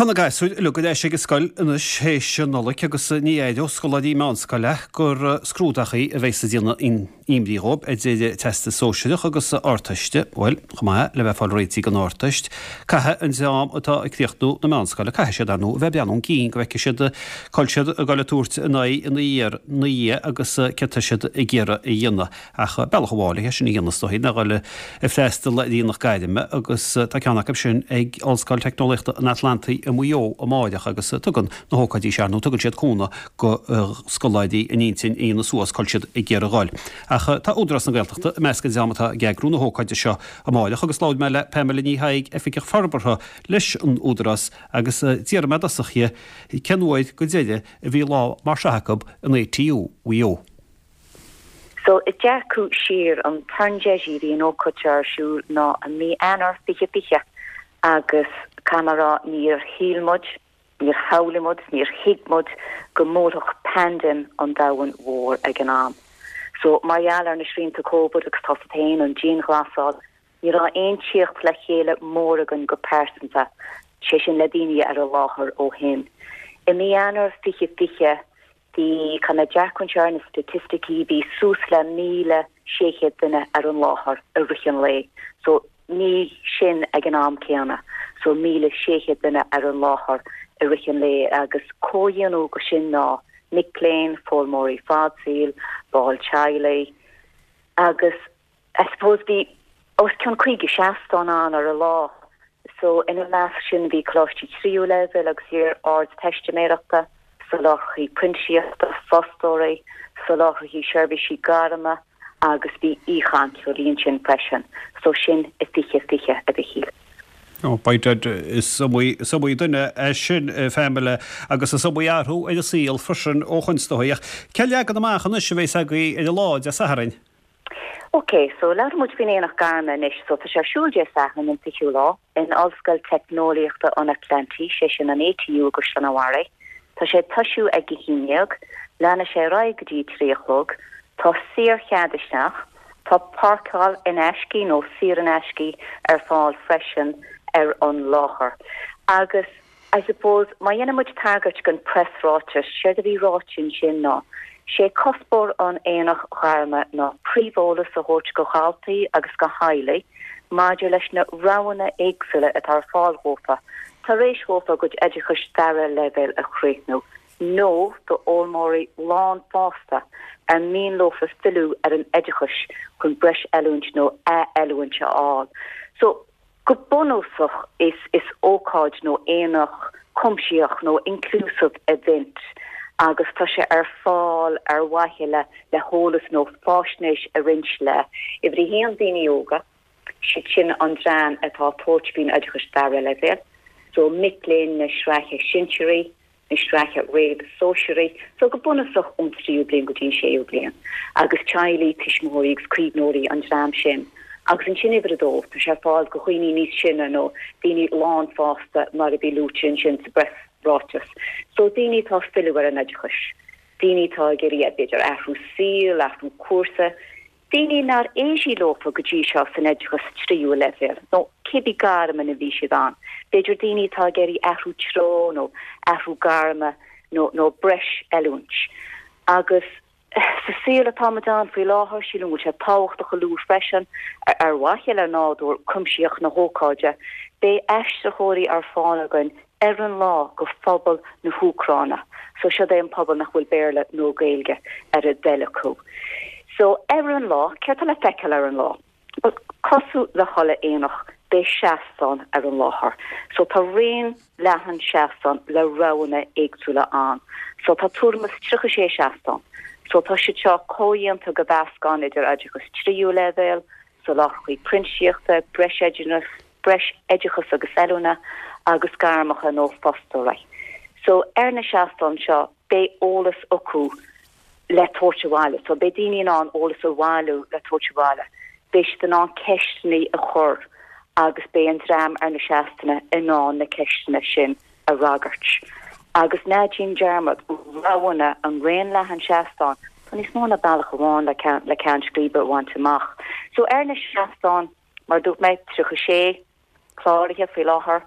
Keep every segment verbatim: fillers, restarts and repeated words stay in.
Tá na gasúir uilig ar ais ag an scoil anois théis an Nollaig agus ní éireodh scoláirí meánscoile gur scrúdachaí a bheas ag déanamh imní dhóibh idir Teastas Sóisearach agus Ardteiste. Bhuel, chomh maith le bheith ag fáil réitithe don Ardteist, caithfidh an dream atá ag críochnú na meánscoile, caithfidh siad, ar ndóigh, a bheith ag breathnú chun cinn go bhfeicfidh siad cá bhfuil siad ag dul ag tabhairt a n-aghaidh ina dhiaidh agus céard atá siad ag iarraidh a dhéanamh. Ach bealach amháin le sin a dhéanamh is dóigh ná dhul ag freastal ar aonach gairme agus tá ceann acu sin ag Ollscoil Teicneolaíochta an Atlantaigh i Maigh Eo amáireach agus tugann na hócáidí seo nó tugann siad cúnamh go scoláirí a n-intinn a dhéanamh suas cá bhfuil siad ag iarraidh dhul. Ach tá Údarás na Gaeltachta i measc an dream atá ag eagrú na hócáide seo amáireach agus labhair mé le Pamela Ní Thaidhg, Oifigeach Forbartha leis an Údarás agus d'iarr mé i dtosach uirthi cén uair go deireadh a bhí lá mar seo acu in A T U Mhaigh Eo. So ag dearcadh siar, an tarn deisí bhí an ócáid seo ar siúl ná i mí Eanáir fiche fiche agus camará níor shíl muid, níor shamhlaigh muid, níor thuig muid go mbuailfeadh paindéim an domhan mhór ag an am. So mar gheall ar na srianta Covid agus tá féin an dianghlasáil, ní raibh aon tíocht le chéile mór againn go pearsanta, sé sin le daoine ar an láthair ó shin. I mí Eanáir fiche fiche bhí chun a dearcún ar na staitisticí bhí suas le míle sé chéad duine ar an láthair i rith an lae. So ní sin ag an am céanna, so míle sé chéad duine ar an láthair i rith an lae agus comhdhéanamh go sin ná mic léinn, foghlaimeoirí fadsaoil, baill teaghlaigh agus I suppose bhí os cionn caoga seastán ann ar an lá. So ina measc sin bhí coláistí tríú leibhéal agus iar ardteistiméireachta, soláthraithe printíseachta, fostóirí, soláthraithe seirbhísí gairme agus bhí aoichainteoirí ansin freisin, so sin i fiche fiche a Mhichíl. Ó b'fhéidir is iomaí duine é sin Pamela agus is iomaí athrú ar an saol freisin ó shoin is dóigh. Ach cén leagan amach anois a bheas agaibh ar an lá Dé Sathairn? Ok, so labhraíonn muid faoin aonach gairme anois, so tá sé ar siúl Dé Sathairn an fichiú lá in Ollscoil Teicneolaíochta an Atlantaigh, sé sin an A T U i gCaisleán an Bharraigh. Tá sé ag tosú ag a haon déag, leanfaidh sé ar aghaidh go dtí trí a chlog, tá saorchead isteach, tá páirceáil in aisce nó saor in aisce ar fáil freisin ar an láthair. Agus I suppose má dhéanann muid tagairt don preasráiteas sé a bhí ráite ansin ná. Sé cuspóir an aonach ghairme ná príomheolas a thabhairt go dhaltaí agus go teaghlaigh maidir leis na roghanna éagsúla atá ar fáil dófa, tar éis dófa a gcuid oideachais dara leibhéal a chríochnú, nó do fhoghlaimeoirí lánfhásta ar mian leofa filleadh ar an oideachas chun breis oiliúint nó ath-oiliúint a fháil. So go bunúsach is is ócáid nó aonach cuimsitheach nó inclusive event agus tá sé ar fáil ar mhaithe le le heolas nó faisnéis a roinnt le uimhir a haon daoine óga, siad sin an dream atá ag tabhairt faoin oideachas dara leibhéal, so mic léinn na sraithe sinsearaí, na sraithe réamh-sóisearaí, so go bunúsach ón tríú bliain go dtí an séú bliain, agus teaghlaigh, tuismitheoirí agus caomhnóirí an dream sin. Agus ansin uimhir a dó, tá sé ar fáil go dhaoine níos sine nó daoine lánfhásta mar a bhí luaite ansin sa bpreasráiteas. So daoine atá ag filleadh ar an oideachas, daoine atá ag iarraidh b'fhéidir athrú saoil, athrú cúrsa, daoine nár éirigh leofa go dtí seo san oideachas tríú leibhéal, nó cibé gairm ina bhí siad ann. B'fhéidir daoine atá ag iarraidh athrú treo nó athrú gairme nó nó breis oiliúint. Agus sa saol atá ann faoi láthair, sílim go bhfuil sé tábhachtach a lua freisin ar mhaithe le nádúr cuimsitheach na hócáide, beidh aistritheoirí ar fáil againn ar an lá go phobal na hÚcráine. So seo é an pobal nach bhfuil Béarla nó Gaeilge ar a dtoil acu. So ar an lá, céard atá le feiceáil ar an lá? Well, cosúil le chuile aonach beidh seastán ar an láthair. So tá raon leathan seastán le roghanna éagsúla ann. So tá tuairim is tríocha sé seastán. So tá siad seo comhdhéanta go mheascán idir oideachas tríú leibhéal, soláthraithe printíseachta, breis breis oideachas agus oiliúna agus gairmeacha nó fostóirí. So ar na seastáin seo beidh eolas acu le tabhairt abhaile, so beidh daoine in ann eolas a bhailiú le tabhairt abhaile. Beidh siad in ann ceisteanna a chur agus beidh an dream ar na seastáin in ann na ceisteanna sin a fhreagairt. Agus ná déan dearmad roghanna an raon leathan seastán, Tá níos mó ná bealach amháin le ceann le ceann scríbe a bhaint amach. So ar na seastáin mar dúirt mé tríocha sé cláraithe faoi láthair,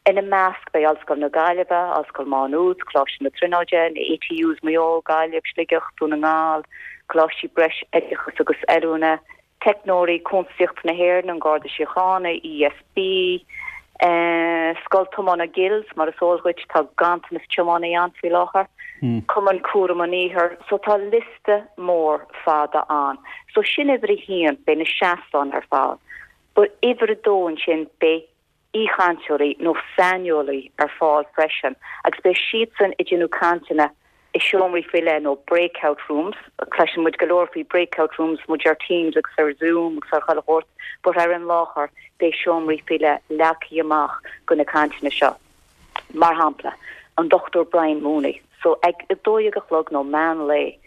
Ina measc beidh Ollscoil na Gaillimhe, Ollscoil Mhá Nuad, Coláiste na Tríonóide, na ATUs Maigh Eo, Gaillimh, Sligeach, Dún na nGall, Coláistí Breis Oideachais agus Oiliúna, Teicneoirí Cuntasaíochta na hÉireann, an Garda Síochána, ESB, eh, Scoil Tiomána Gills, mar is eol dhuit tá ganntanas tiománaí ann faoi láthair, Cumann Cúram an Iarthair, so tá liosta mór fada ann. So sin uimhir a haon, beidh na seastáin ar fáil. But uimhir a dó ansin beidh aoichainteoirí nó saineolaí ar fáil freisin agus beidh siadsan ag déanamh cainteanna i seomraí faoi leith nó breakout rooms. Cloiseann muid go leor faoi breakout rooms muid ar Teams agus ar Zoom agus ar chuile shórt, but ar an láthair beidh seomraí faoi leith leagtha amach go na cainteanna seo. Mar shampla, an Dr Brian Mooney. So ag a dó dhéag a chlog nó meán lae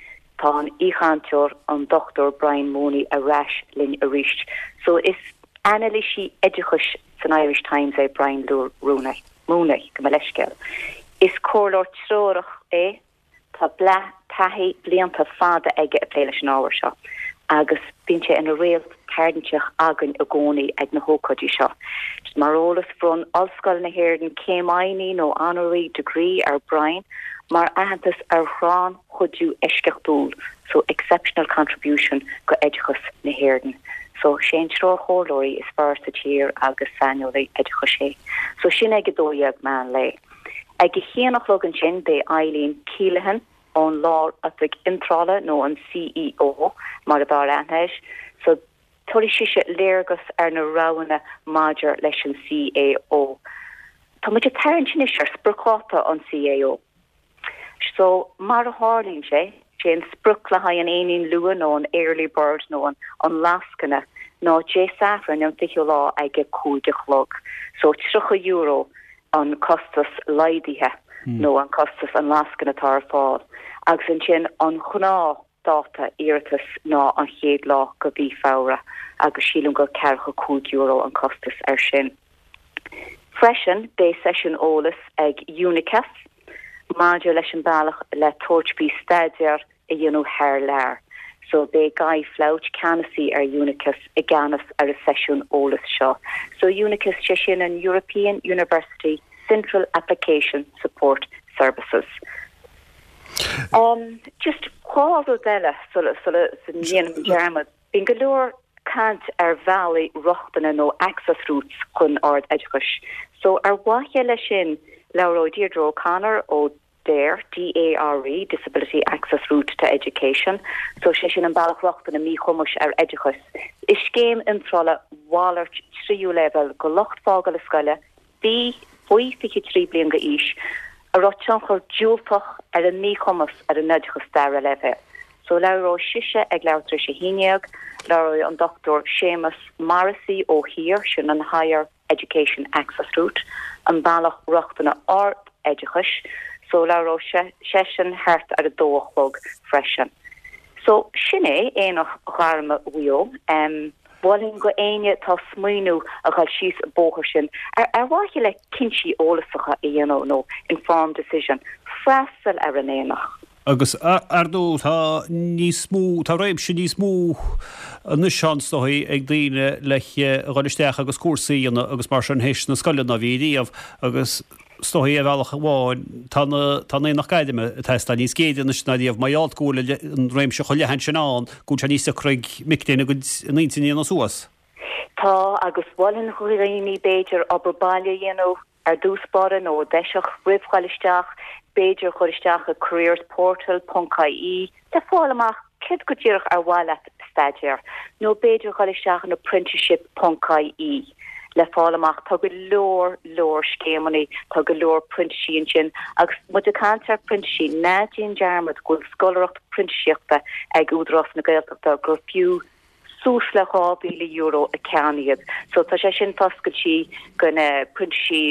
tá an aoichainteoir an Dr Brian Mooney ar ais linn arís. So is anailísí oideachais san Irish Times é Brian Rooney, Mooney gabh mo leithscéal. Is comhairleoir treorach é tá bla taithí blianta fada aige ag plé leis an ábhar seo. agus bíonn sé ina réalt tarraingteach againn i gcónaí ag na hócáidí seo. Mar eolas bhronn Ollscoil na hÉireann céim oinigh nó honorary degree ar Brian mar aitheantas ar rannchuidiú eisceachtúil, so exceptional contribution go oideachas na hÉireann. So sé an treoirchomhairleoirí is fearr sa tír agus saineolaí oideachais é. So sin ag a dó dhéag meán lae. Ag a haon a chlog ansin beidh Eileen Keelehan ón Lár-Oifig Iontrála nó an CEO mar a bhar aithneis, so tabharfaidh sise léargas ar na roghanna maidir leis an CAO. Tá muid ag tarraingt anois ar spriocdháta an CAO. So mar a tharlaíonn sé sé an sprioc le haghaidh an éinín luath nó an early bird nó an an lascaine ná Dé Sathairn an fichiú lá ag a cúig a chlog. So tríocha euro an costas laghdaithe mm. nó an costas an lascaine atá ar fáil. Agus ansin an gnáthdáta iarratas ná an chéad lá de mhí Feabhra agus sílim gur ceathracha cúig euro an costas ar sin. Freisin beidh seisiún eolais ag UNICEF maidir leis an bealach le tabhairt faoi staidéar a dhéanamh thar lear. So beidh Guy Flouch ceannasaí ar UNICEF i gceannas ar an seisiún eolais seo. So UNICEF sé sin an European University Central Application Support Services. Um, just dhá rud eile sula sula ndéanaim dearmad. Bíonn go leor caint ar bhealaí rochtana nó access routes chun ard-oideachais. So ar mhaithe leis sin labhróidh Deirdre O'Connor ó DARE DARE Disability Access Route to Education, so sé sin an bealach rochtana míchumais ar oideachas. Is scéim iontrála mhalairt tríú leibhéal go lucht fágála scoile, bí faoi fiche trí bliain d'aois, a raibh tionchar diúltach ar an míchumas ar an oideachas dara leibhéal. So labhróidh sise ag leathuair tar éis a haon déag, labhróidh an Dr Séamus Morrissey ó HEAR sin an Higher Education Access Route, an bealach rochtana ard-oideachais, so labhróidh sé seisean thart ar a dó a chlog freisin. So sin é Aonach Gairme Mhaigh Eo. Um, Mholfainn go éinne atá ag smaoineamh a dhul síos an bóthar sin ar ar mhaithe le cinntí eolasacha a dhéanamh nó informed decision freastal ar an aonach. Agus ar ndóigh tá níos mó tá réimse níos mó anois is dóigh ag daoine le dhul isteach agus cúrsaí agus mar sin théis na scoile ná bhí riamh agus is dóigh ar bhealach amháin tá tá aonach gairme atá níos géire anois ná riamh mar gheall go bhfuil an réimse chomh leathan sin ann go bhfuil sé níos deacra ag mic léinn a gcuid n-intinn a dhéanamh suas. Tá agus mholfainn do dhaoine b'fhéidir obair baile a dhéanamh ar dtús báire nó deiseach roimh dhul isteach, b'fhéidir chur isteach a careersportal.ie le fáil amach céard go díreach ar mhaith leat staidéar, nó b'fhéidir chur isteach an apprenticeship.ie le fáil amach tá go leor leor scéimeanna tá go leor printísí ansin agus muid ag caint ar printísí ná déan dearmad go bhfuil scoláireacht printíseachta ag Údarás na Gaeltachta gur fiú suas le dhá mhíle euro a ceann iad. So tá sé sin foscailte go na printísí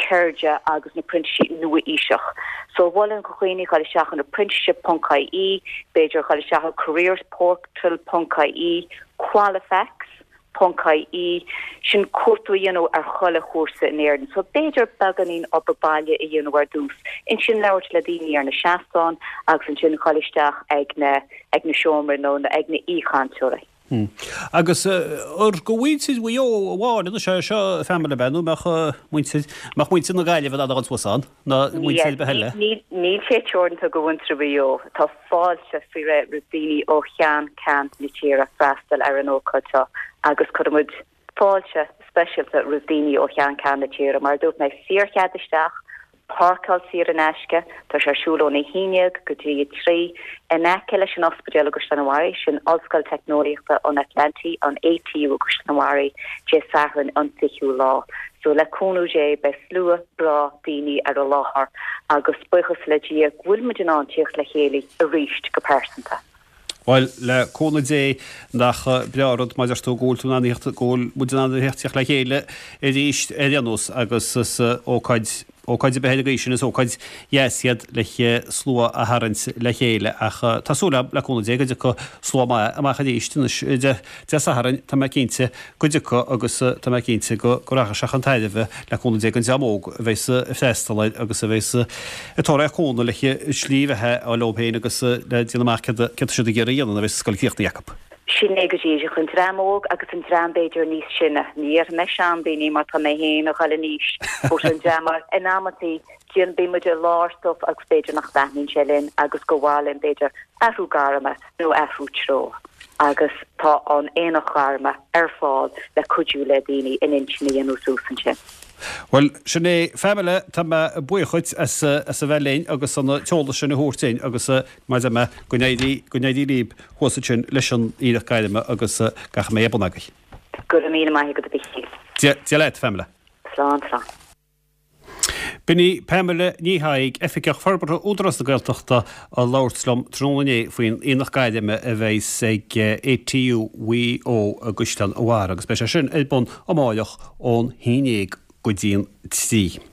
ceirde agus na printísí nua-aoiseach. So mholfainn do dhaoine chur isteach an apprenticeship.ie, b'fhéidir chur isteach an careersportal.ie, Qualifax, .ie sin cuartú a dhéanamh ar chuile chúrsa in Éirinn. So b'fhéidir beagáinín obair baile a dhéanamh ar dtús. Ansin labhairt le daoine ar na seastáin agus ansin chur isteach ag na ag na seomraí nó ag na aoichainteoirí. Agus ar go mhuintir Mhaigh Eo amháin anois é seo a Phamela ab ea nó mbeadh muintir mbeadh muintir na Gaillimhe in ann a dhul suas ann ná muintir ar bith eile? Níl sé teoranta go mhuintir Mhaigh Eo. Tá fáilte faoi réir roimh daoine ó cheann ceann na tíre freastal ar an ócáid seo agus cuirimid fáilte speisialta roimh daoine ó cheann ceann na tíre. Mar a dúirt mé, saorchead isteach, páirceáil saor in aisce, tá sé ar siúl óna haon déag go dtí a trí, in aice leis an ospidéal i gCaisleán an Bharraigh, sin Ollscoil Teicneolaíochta an Atlantaigh, an ATU i gCaisleán an Bharraigh, Dé Sathairn an fichiú lá. So le cúnamh Dé beidh slua breá daoine ar an láthair agus buíochas le Dia go bhfuil muid in ann tíocht le chéile arís go pearsanta. Bhuel, le cúnamh Dé, nach breá an rud mar a deir tú go bhfuil tú in ann a thíocht, go bhfuil muid in ann a thíocht le chéile arís ar aon nós agus is ócáid, ócáid ar bith ar an gcaoi sin, is ócáid dheas iad le slua a tharraingt le chéile ach tá súil agam, le cúnamh Dé, go dtiocfaidh slua maith amach arís anois Dé Sathairn, tá mé cinnte go dtiocfaidh agus tá mé cinnte go rachaidh sé chun tairbhe, le cúnamh Dé, don dream óg a bheas ag freastal air agus a bheas ag tabhairt cúnamh le slí bheatha a fháil dóibh féin agus le déanamh amach céard atá siad ag iarraidh a dhéanamh nuair a bheas an scoil críochnaithe acu. Sin é go díreach, an dream óg agus an dream b'fhéidir níos sine, ní dhéarfaidh mé seandaoine mar tá mé féin ag dul in aois, but an dream mar in amantaí déan bíonn muid i lár stuif agus b'fhéidir nach dtaitníonn sé linn agus gur mhaith linn b'fhéidir athrú gairme nó athrú treo agus tá an Aonach Gairme ar fáil le cuidiú le daoine a n-intinn a dhéanamh suas ansin. Bhuel, sin é Phamela, tá mé buíoch dhuit as as a bheith linn agus an t-eolas sin a thabhairt duinn agus mar a deir mé, go n-éirí, go n-éirí libh thuas ansin leis an Aonach Gairme agus gach a mbeidh ar bun agaibh. Go raibh míle maith agat a Mhichíl. Dia, Dia leat, Phamela. Slán, slán. B'in í Pamela Ní Thaidhg, Oifigeach Forbartha Údarás na Gaeltachta, ag labhairt liom tráthnóna inné faoin Aonach Gairme a bheas ag ATU Mhaigh Eo i gCaisleán an Bharraigh agus beidh sé sin ar bun amáireach ón haon déag go dtí an trí.